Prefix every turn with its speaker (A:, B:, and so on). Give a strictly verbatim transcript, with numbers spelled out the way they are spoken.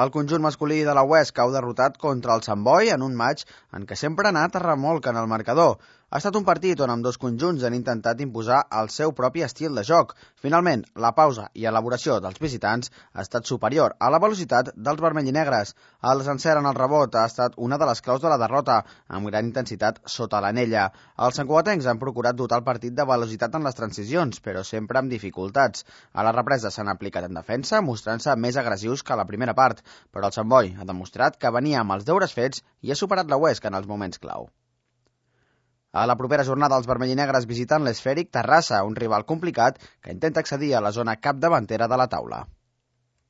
A: El conjunt masculí de la Huesc cau derrotat contra el Sant Boi en un matx en què sempre ha anat a remolc en el marcador. Ha estat un partit on ambdós conjunts han intentat imposar el seu propi estil de joc. Finalment, la pausa i elaboració dels visitants ha estat superior a la velocitat dels vermell i negres. El encert en el rebot ha estat una de les claus de la derrota, amb gran intensitat sota l'anella. Els santcugatencs han procurat dotar el partit de velocitat en les transicions, però sempre amb dificultats. A la represa s'han aplicat en defensa, mostrant-se més agressius que a la primera part, però el Sant Boi ha demostrat que venia amb els deures fets i ha superat la Huesc en els moments clau. A la propera jornada, els vermell i negres visiten l'Esfèric Terrassa, un rival complicat que intenta accedir a la zona capdavantera de la taula.